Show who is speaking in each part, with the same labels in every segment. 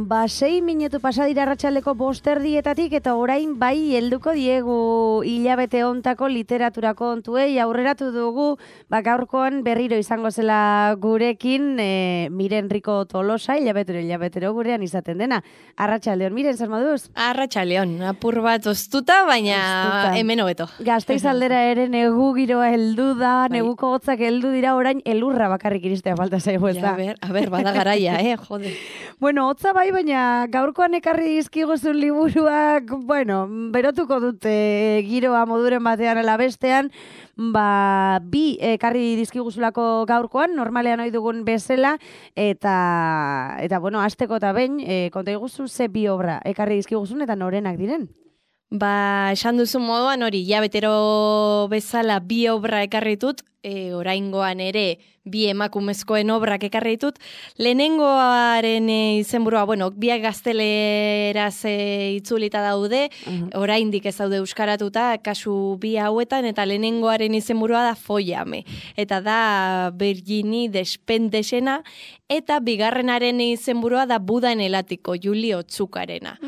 Speaker 1: 6 minutu pasadira arratsaldeko 5:00 eta orain bai helduko diegu hilabete hontako literatura kontuei aurreratu dugu, gaurkoan berriro izango zela gurekin Miren Rico Tolosa hilabetero gurean izaten dena. Arratsaldeon, Miren, zer moduz?
Speaker 2: Arratsaldeon, apur bat oztuta, baina hemen hobeto.
Speaker 1: Gasteiz aldera ere negu giroa heldu da, neguko hotzak heldu dira, orain elurra bakarrik iristea falta zaigu ez da.
Speaker 2: A ber, bada garaia, jode.
Speaker 1: Bueno, hotza bai, baina gaurkoan ekarri dizkiguzun liburuak, berotuko dute giroa moduren batean ala bestean, bi ekarri dizkiguzulako gaurkoan, normalean ohi dugun bezala, eta hasteko eta behin, konta iguzu ze bi obra ekarri dizkiguzun eta norenak diren?
Speaker 2: Esan duzu moduan hori, betero bezala bi obra ekarritut, oraingoan ere bi emakumezkoen obrak ekarri ditut. Lehenengoaren izenburua, biak gazteleraz itzulita daude, oraindik ez daude euskaratuta, kasu bi hauetan, eta lehenengoaren izenburua da Follame. Eta da Virginie Despentes-ena, eta bigarrenaren izenburua da Buda en el Ático, Julio Otsukarena.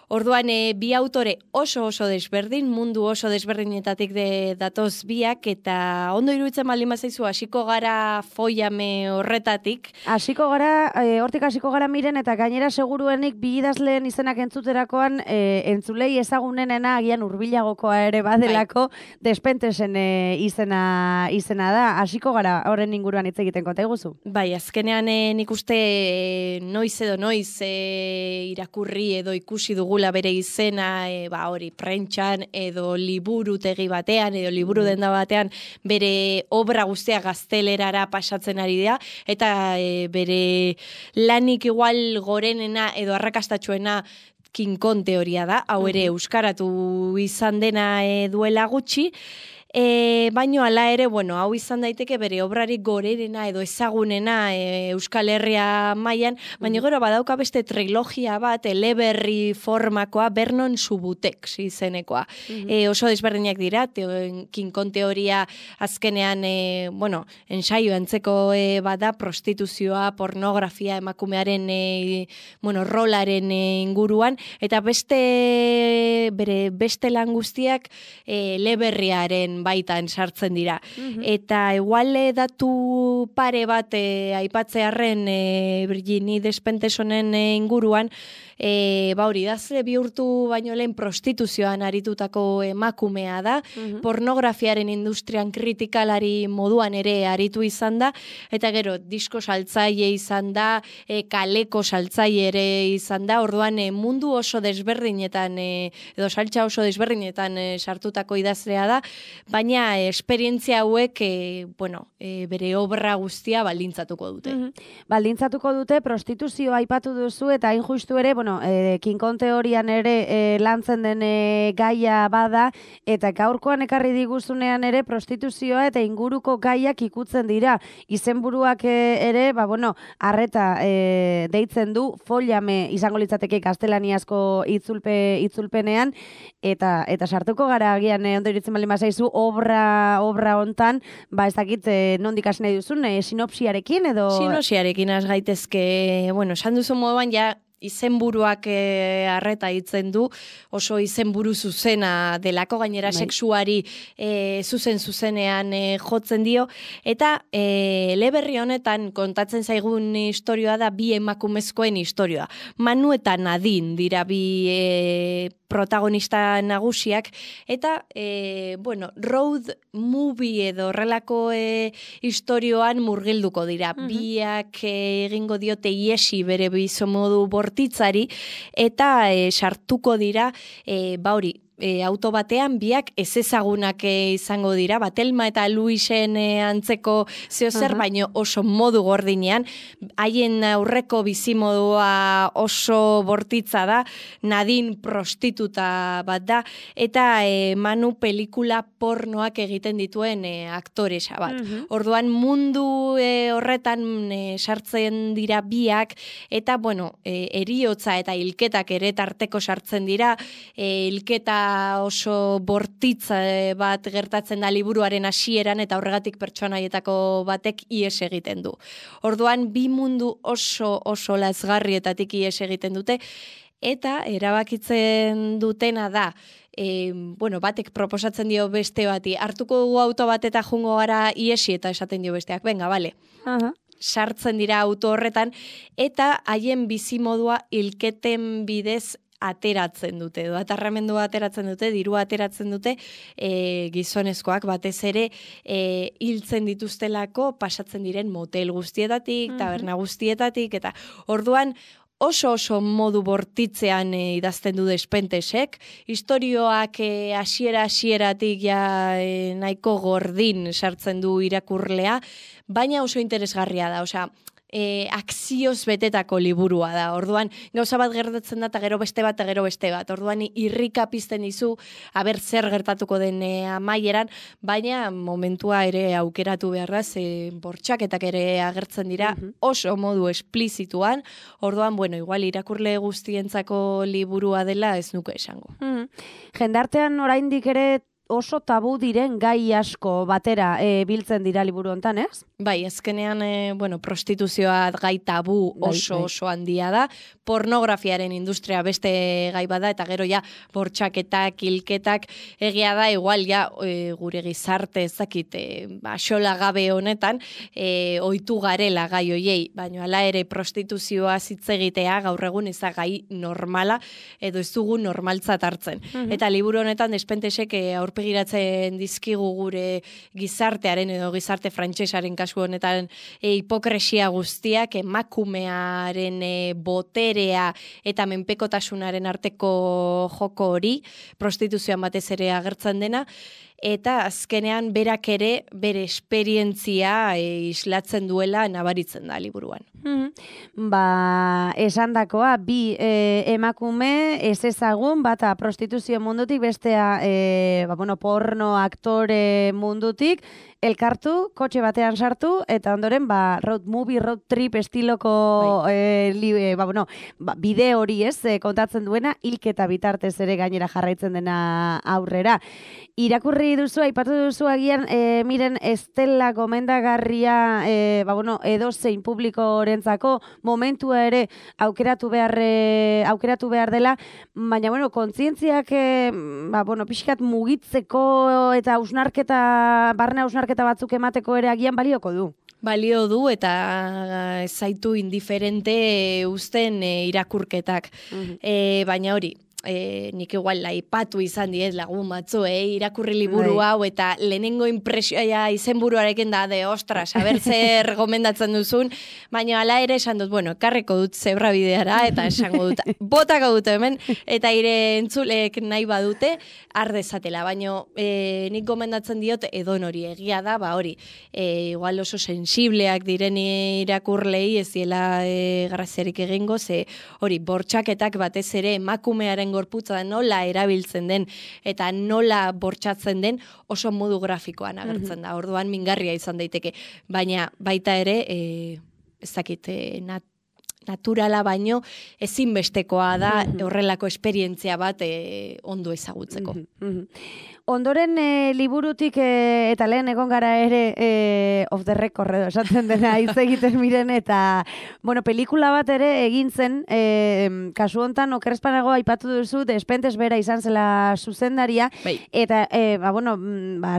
Speaker 2: Orduan, bi autore oso desberdin, mundu oso desberdinetatik datoz biak, eta ondo iruditzen baldin bazaizu, hasiko gara Follame horretatik.
Speaker 1: Hortik hasiko gara Miren, eta gainera seguruenik bi idazleen izenak entzuterakoan, entzulei ezagunenena agian hurbilagokoa ere badelako, Despentesen izena da. Hasiko gara horren inguruan hitz egiten, konta iguzu?
Speaker 2: Bai, azkenean nik uste noiz irakurri edo ikusi dugu bere izena, hori prentxan, edo liburutegi batean, edo liburu denda batean, bere obra guztia gaztelerara pasatzen ari dira, eta bere lanik igual gorenena edo arrakastatxoena King Kong teoria da, hau ere euskaratu izan dena duela gutxi, baino hala ere, hau izan daiteke bere obrarik gorerena edo ezagunena Euskal Herria mailan, baina gero badauka beste trilogia bat, eleberri formakoa, Vernon Subutex izenekoa. Oso desberdinak dira, King Kong teoria azkenean, ensaio antzeko bada, prostituzioa, pornografia, emakumearen rolaren inguruan, eta beste lan guztiak eleberriaren baitan sartzen dira. Eta igual datu pare bat aipatzearren Virginie Despentesonen inguruan, hori idazle bihurtu baino lehen prostituzioan aritutako emakumea da, pornografiaren industrian kritikalari moduan ere aritu izan da, eta gero disko saltzaile izan da, kaleko saltzaile ere izan da, orduan mundu oso desberdinetan, edo saltza oso desberdinetan sartutako idazlea da, baina esperientzia hauek bere obra guztia baldintzatuko dute.
Speaker 1: Baldintzatuko dute, prostituzioa aipatu duzu, eta hain justu ere, King Kong teorian ere lantzen den gaia bada, eta gaurkoan ekarri diguzunean ere prostituzioa eta inguruko gaiak ikutzen dira. Izenburuak ere, arreta deitzen du, Follame izango litzateke gaztelaniazko itzulpenean, eta sartuko gara agian ondo iritzen baldin bazaizu obra hontan, ez dakit nondik hasi nahi duzun, sinopsiarekin edo?
Speaker 2: Sinopsiarekin has gaitezke, esan duzu moduan izenburuak arreta hitzen du, oso izenburu zuzena delako, gainera sexuari zuzenean jotzen dio, eta eleberri honetan kontatzen zaigun istorioa da bi emakumezkoen istorioa. Manu eta Nadine dira bi protagonista nagusiak, eta road movie edo horrelako istorioan murgilduko dira. Biak egingo diote iesi bere bizomodu bortitzari, eta sartuko dira, auto batean biak ezezagunak izango dira, Telma eta Luisen antzeko zeozer, baino oso modu gordinean, haien aurreko bizimodua oso bortitza da, Nadine prostituta bat da, eta Manu pelikula pornoak egiten dituen aktoresa bat. Orduan mundu horretan sartzen dira biak, eta heriotza eta hilketak ere tarteko sartzen dira, hilketa nola oso bortitza bat gertatzen da liburuaren hasieran eta horregatik pertsonaietako batek ihes egiten du. Orduan, bi mundu oso lazgarrietatik ihes egiten dute, eta erabakitzen dutena da, batek proposatzen dio beste bati, hartuko dugu auto bat eta jungo gara iesi eta esaten dio besteak, venga, bale. Sartzen dira auto horretan, eta haien bizimodua hilketen bidez ateratzen dute, edo atarramendua ateratzen dute, dirua ateratzen dute, gizonezkoak batez ere hiltzen dituztelako pasatzen diren motel guztietatik, taberna guztietatik, eta orduan oso modu bortitzean idazten du Despentesek, historioak hasieratik nahiko gordin sartzen du irakurlea, baina oso interesgarria da, osea, akzioz betetako liburua da. Orduan, gauza bat gertatzen da, eta gero beste bat, Orduan, irrika pizten dizu, aber zer gertatuko den amaieran, baina momentua ere aukeratu behar da, bortxaketak ere agertzen dira, oso modu esplizituan. Orduan, igual irakurle guztientzako liburua dela ez nuke esango.
Speaker 1: Jendartean oraindik ere oso tabu diren gai asko batera biltzen dira liburu hontan, ez?
Speaker 2: Bai, azkenean, prostituzioa gai tabu oso handia da, pornografiaren industria beste gai bada, eta gero bortxaketak, hilketak, egia da, igual gure gizarte ezakit, xola gabe honetan, ohitu garela gai hoiei, baina hala ere prostituzioa hitz egitea gaur egun ez da gai normala, edo ez dugu normaltzat hartzen. Eta liburu honetan Despentesek aurpegiratzen dizkigu gure gizartearen edo gizarte frantsesaren kasu honetan hipokresia guztiak, emakumearen boterea eta menpekotasunaren arteko joko hori, prostituzioan batez ere agertzen dena, eta azkenean berak ere bere esperientzia islatzen duela nabaritzen da liburuan.
Speaker 1: Esandakoa, bi emakume ez ezagun, bata prostituzio mundutik, bestea porno aktore mundutik, elkartu, kotxe batean sartu, eta ondoren road movie, road trip estiloko bide hori kontatzen duena, hilketa bitartez ere gainera jarraitzen dena aurrera. Irakurri duzu, aipatu duzu agian, miren, ez dela gomendagarria edozein publikorentzako momentua ere aukeratu behar dela, baina, kontzientziak pixkat mugitzeko eta barne hausnarketa batzuk emateko ere agian balioko du.
Speaker 2: Balio du eta zaitu indiferente uzten irakurketak. Baina hori, nik igual aipatu izan diet lagun batzu, irakurri liburu hau eta lehenengo impresioa izenburuarekin da, ostras, haber zer gomendatzen duzun, baina hala ere esan dut, karreko dut zebra bideara eta esango dut, botako dut hemen, eta ire entzulek nahi badute, ardezatela, baina nik gomendatzen diot edon hori egia da, hori, igual oso sensibleak diren irakurlei ez diela graziarik egingo, ze hori, bortxaketak batez ere emakumearen gorputza nola erabiltzen den eta nola bortxatzen den oso modu grafikoan agertzen da. Orduan mingarria izan daiteke, baina baita ere ez dakit naturala baino ezinbestekoa da horrelako esperientzia bat ondo ezagutzeko.
Speaker 1: Ondoren liburutik eta lehen egon gara ere off the record edo esaten dena hitz egiten miren eta pelikula bat ere egin zen kasu hontan okerrezpanago aipatu duzu Despentes bera izan zela zuzendaria eta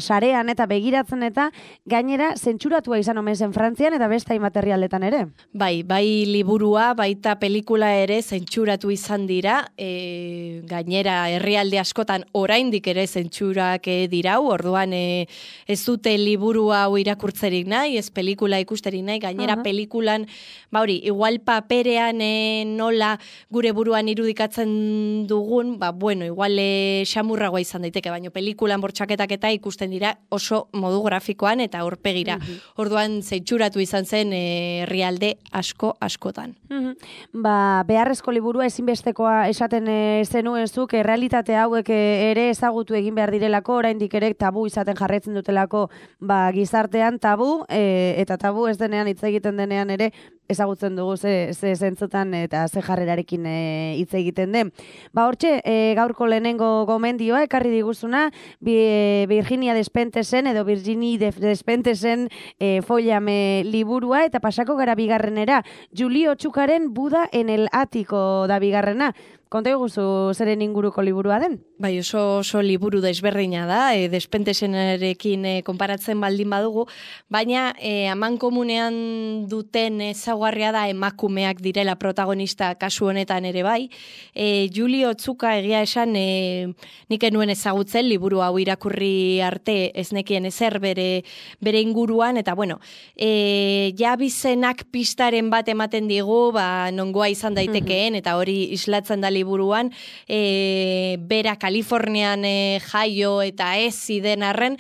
Speaker 1: sarean eta begiratzen eta gainera zentsuratua izan omen zen Frantzian eta beste hainbat herrialdetan ere.
Speaker 2: Bai liburua baita pelikula ere zentsuratu izan dira, gainera herrialde askotan oraindik ere zentsura dirau, orduan ez dute liburu hau irakurtzerik nahi, ez pelikula ikusterik nahi, gainera pelikulan, igual paperean nola gure buruan irudikatzen dugun, igual xamurragoa izan daiteke, baina pelikulan bortxaketak eta ikusten dira oso modu grafikoan eta aurpegira. Orduan zentzuratu izan zen herrialde askotan.
Speaker 1: Beharrezko liburua ezinbestekoa esaten zenuen zuk, realitate hauek ere ezagutu egin behar direla direlako, oraindik ere tabu izaten jarraitzen dutelako gizartean tabu, eta tabu ez denean hitz egiten denean ere ezagutzen dugu ze zentzutan eta ze jarrerarekin hitz egiten den. Hortxe, gaurko lehenengo gomendioa ekarri diguzuna, Virginia Despentesen edo Virginie Despentesen Follame liburua, eta pasako gara bigarrenera. Julio Txukaren Buda en el Atiko da bigarrena. Konta guzu zeren inguruko liburua den?
Speaker 2: Bai, oso liburu desberdina da, Despentesenarekin konparatzen baldin badugu, baina amankomunean duten ezaugarria da emakumeak direla protagonista kasu honetan ere bai. Julio Txuka egia esan nik enuen ezagutzen liburu hau irakurri arte ez nekien ezer bere inguruan, eta bueno, jabizenak pistaren bat ematen digu, nongoa izan daitekeen, eta hori islatzen da liburuan, bera Kalifornian jaio eta ez ziden arren,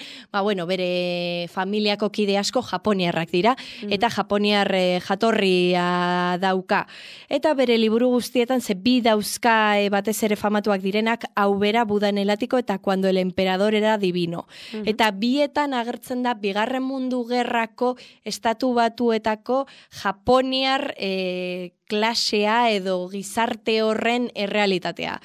Speaker 2: bere familiako kide asko japoniarrak dira, eta japoniar jatorria dauka. Eta bere liburu guztietan bi dauzka batez ere famatuak direnak, hau bera Buda en el Atiko eta Cuando el emperador era divino. Eta bietan agertzen da Bigarren Mundu Gerrako estatu batuetako japoniar klasea edo gizarte horren errealitatea.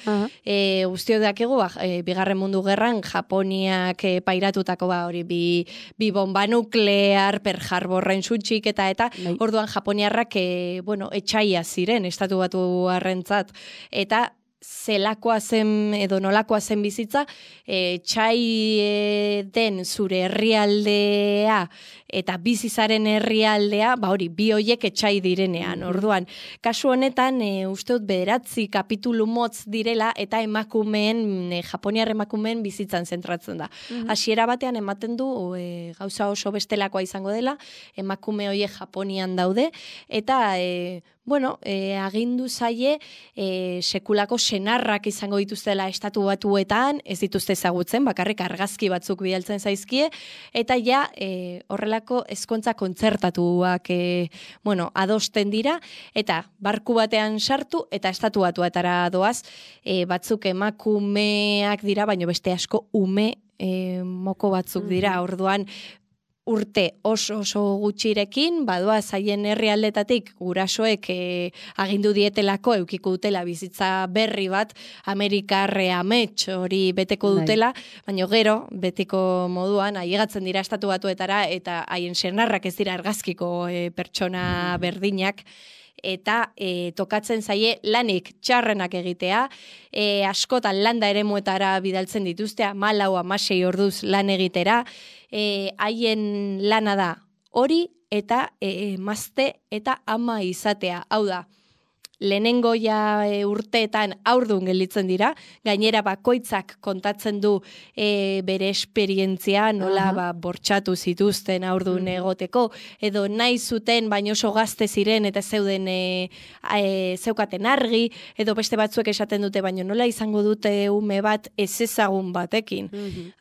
Speaker 2: Guztiok dakigu, Bigarren Mundu Gerran Japoniak pairatutako hori bi bomba nuklear, Pearl Harborren sutsik eta orduan Japoniarrak etxaia ziren estatu batu arrentzat. Eta zelakoa zen edo nolakoa zen bizitza, txai den zure herrialdea eta bizizaren herrialdea, hori, bi hoiek etxai direnean. Orduan, kasu honetan, uste dut 9 kapitulu motz direla eta Japoniar emakumeen bizitzan zentratzen da. Hasiera batean ematen du gauza oso bestelakoa izango dela, emakume hoiek Japonian daude, eta agindu zaie sekulako senarrak izango dituztela estatu batuetan, ez dituzte ezagutzen, bakarrik argazki batzuk bidaltzen zaizkie, eta ja horrelako ezkontza kontzertatuak adosten dira, eta barku batean sartu eta estatu batuetara doaz, batzuk emakumeak dira, baina beste asko ume moko batzuk dira, orduan urte oso gutxirekin, badoaz haien herrialdetatik gurasoek agindu dietelako eukiko dutela bizitza berri bat, Amerikarre amets hori beteko dutela, baina gero, betiko moduan, aiegatzen dira estatu batuetara, eta haien senarrak ez dira argazkiko pertsona berdinak, eta tokatzen zaie lanik txarrenak egitea, askotan landa eremuetara bidaltzen dituztea, 14-16 orduz lan egitera, haien lana da hori eta emazte eta ama izatea. Hau da, lehenengo urteetan haurdun gelditzen dira, gainera bakoitzak kontatzen du bere esperientzia, nola bortxatu zituzten haurdun egoteko, edo nahi zuten baino oso gazte ziren eta zeukaten argi, edo beste batzuek esaten dute, baino nola izango dute ume bat ez ezagun batekin.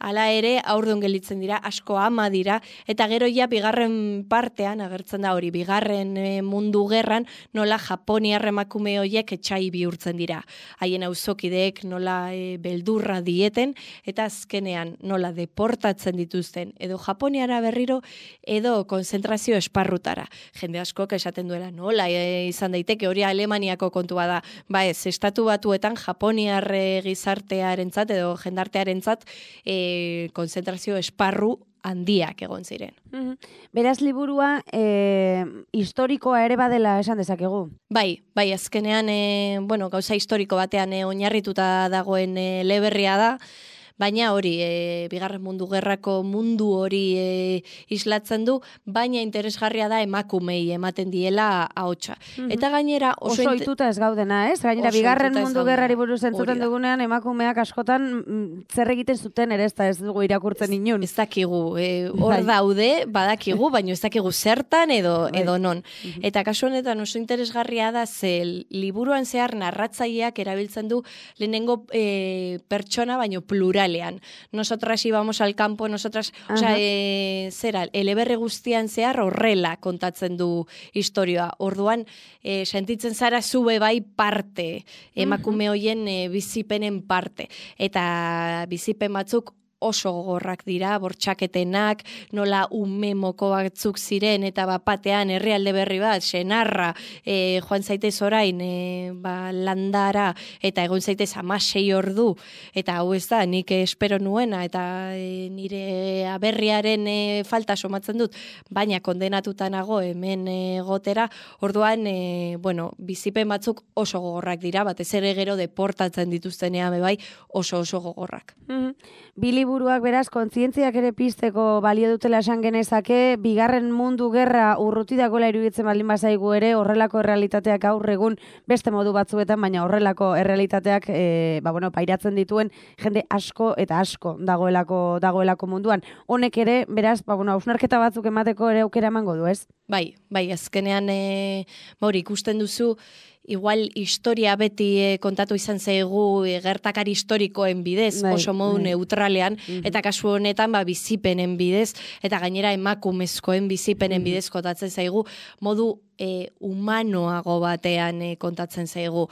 Speaker 2: Hala ere, haurdun gelditzen dira, asko ama dira, eta gero ja bigarren partean, agertzen da hori, Bigarren Mundu Gerran, nola Japoniar emakume horiek etxai bihurtzen dira. Haien auzokideek nola beldurra dieten, eta azkenean nola deportatzen dituzten, edo Japoniara berriro, edo konzentrazio esparrutara. Jende askok esaten duela, nola izan daiteke hori Alemaniako kontua da. Ez, estatu batuetan Japoniar gizartearentzat edo jendartearentzat konzentrazio esparru handiak egon ziren.
Speaker 1: Beraz, liburua historikoa ere badela esan dezakegu.
Speaker 2: Bai, azkenean, gauza historiko batean oinarrituta dagoen eleberria da, baina hori, Bigarren Mundu Gerrako mundu hori islatzen du, baina interesgarria da emakumei ematen diela ahotsa. Eta gainera
Speaker 1: oso ohituta ez gaudena, ez? Gainera Bigarren Mundu Gerrari buruz entzuten dugunean emakumeak askotan zer egiten zuten ere ez dugu irakurtzen inun.
Speaker 2: Ez dakigu, hor daude, badakigu, baina ez dakigu zertan edo non. Eta kasu honetan oso interesgarria da, ze liburuan zehar narratzaileak erabiltzen du lehenengo pertsona baino plural. Nosotras íbamos al campo, nosotras, eleberri guztian zehar horrela kontatzen du historia. Orduan, sentitzen zara zube bai parte, emakume hoien bizipenen parte. Eta bizipen batzuk oso gogorrak dira, bortxaketenak, nola ume moko batzuk ziren, eta bapatean herrialde berri bat, senarra, joan zaitez orain, landara, eta egon zaitez 16 ordu, eta hau ez da, nik espero nuena, eta nire aberriaren falta somatzen dut, baina kondenatuta nago hemen gotera, orduan, bizipen batzuk oso gogorrak dira, batez ere gero deportatzen dituztenean bai oso gogorrak.
Speaker 1: Bi liburuak beraz, kontzientziak ere pizteko balio dutela esan genezake, bigarren mundu gerra urruti dagoela iruditzen baldin bazaigu ere, horrelako errealitateak gaur egun beste modu batzuetan, baina horrelako errealitateak pairatzen dituen jende asko eta asko dagoelako munduan. Honek ere, beraz, hausnarketa batzuk emateko ere aukera emango du, ez?
Speaker 2: Bai, azkenean ikusten duzu, igual historia beti kontatu izan zaigu gertakari historikoen bidez, oso modu neutralean, eta kasu honetan bizipenen bidez, eta gainera emakumezkoen bizipenen bidez kontatzen zaigu, modu humanoago batean kontatzen zaigu.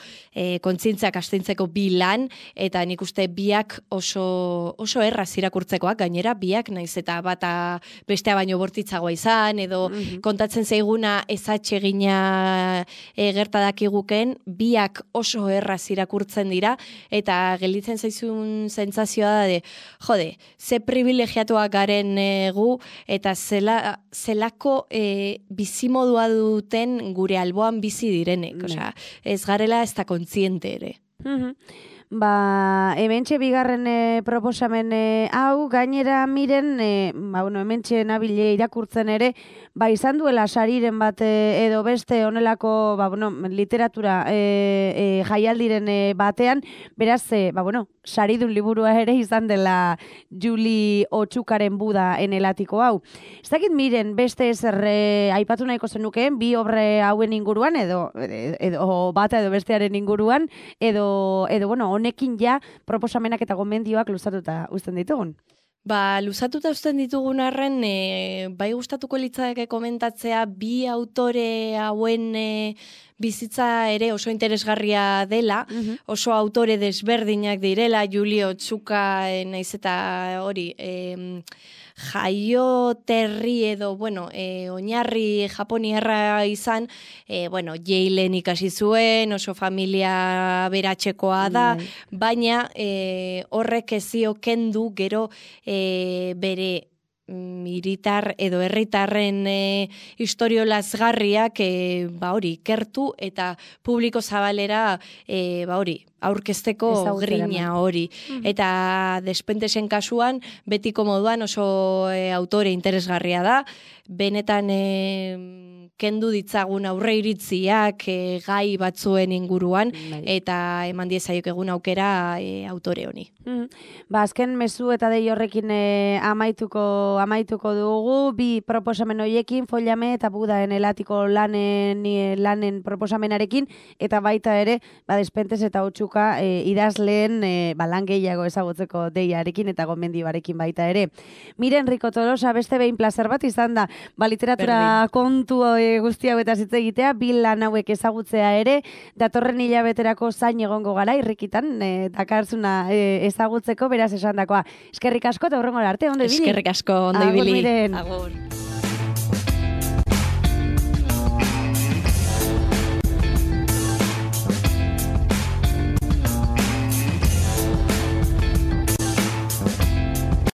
Speaker 2: Kontzientziak astintzeko bi lan, eta nik uste biak oso erraz irakurtzekoak, gainera biak naiz eta bata bestea baino bortitzagoa izan, edo kontatzen zaiguna ezatsegina gertadakiguken, biak oso erraz irakurtzen dira, eta gelditzen zaizun sentsazioa da jode, ze privilegiatuak garen gu, eta zelako bizimodua duten gure alboan bizi direnek. Osea, ez garela ez da kontziente ere.
Speaker 1: Hementxe bigarren proposamen hau, gainera miren, hementxe nabile irakurtzen ere, izan duela sariren bat edo beste honelako, literatura jaialdiren batean, beraz, saridun liburua ere izan dela Juli Otxukaren Buda enelatiko hau. Ez dakit miren, beste ezer aipatu nahiko zenukeen, bi obre hauen inguruan, edo bata edo bestearen inguruan, edo honekin ja proposamenak eta gomendioak luzatuta uzten ditugun.
Speaker 2: Luzatuta uzten ditugun arren, bai gustatuko litzateke komentatzea bi autore hauen bizitza ere oso interesgarria dela, oso autore desberdinak direla, Juli Otxuka naiz eta hori, jaioterri edo, oinarri japoniarra izan, Yalen ikasi zuen, oso familia beratxekoa da, baina horrek ezio kendu gero bere militar edo herritarren historio lazgarriak ikertu eta publiko zabalera aurkezteko grina hori. Eta Despentesen kasuan, betiko moduan oso autore interesgarria da, benetan kendu ditzagun aurre iritziak gai batzuen inguruan, eta eman diezaiok egun aukera autore honi.
Speaker 1: Azken mezu eta dei horrekin amaituko dugu, bi proposamen horiekin, Follame eta Buda enelatiko lanen proposamenarekin, eta baita ere, Despentes eta Otxuka idazleen lan gehiago ezagutzeko deiarekin eta gomendioarekin baita ere. Miren Rico Tolosa, beste behin plazer bat izan da, literatura kontu guzti hau eta zitze egitea, bi lan hauek ezagutzea ere, datorren hilabeterako zain egongo gara, irrikitan, dakarzuna ezagutzeko, beraz esandakoa. Eskerrik asko eta hurrengora arte, ondo ibili.
Speaker 2: Eskerrik asko, ondo ibili.
Speaker 1: Agur.